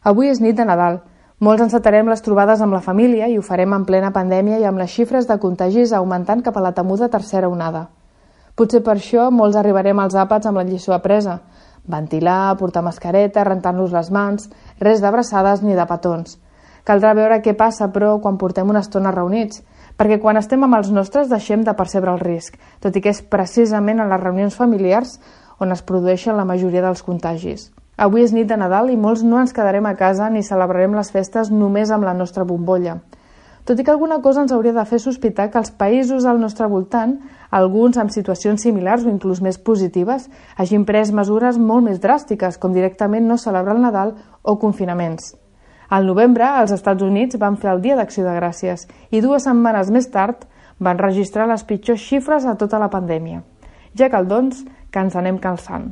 Avui és nit de Nadal. Molts encetarem les trobades amb la família i ho farem en plena pandèmia i amb les xifres de contagis augmentant cap a la temuda tercera onada. Potser per això molts arribarem als àpats amb la lliçó apresa. Ventilar, portar mascareta, rentar-nos les mans, res d'abraçades ni de petons. Caldrà veure què passa, però, quan portem una estona reunits, perquè quan estem amb els nostres deixem de percebre el risc, tot i que és precisament en les reunions familiars on es produeixen la majoria dels contagis. Avui és nit de Nadal i molts no ens quedarem a casa ni celebrarem les festes només amb la nostra bombolla. Tot i que alguna cosa ens hauria de fer sospitar que els països al nostre voltant, alguns amb situacions similars o inclús més positives, hagin pres mesures molt més dràstiques, com directament no celebrar el Nadal o confinaments. Al novembre, als Estats Units van fer el Dia d'Acció de Gràcies i 2 setmanes més tard van registrar les pitjors xifres de tota la pandèmia. Ja cal, doncs, que ens anem calçant.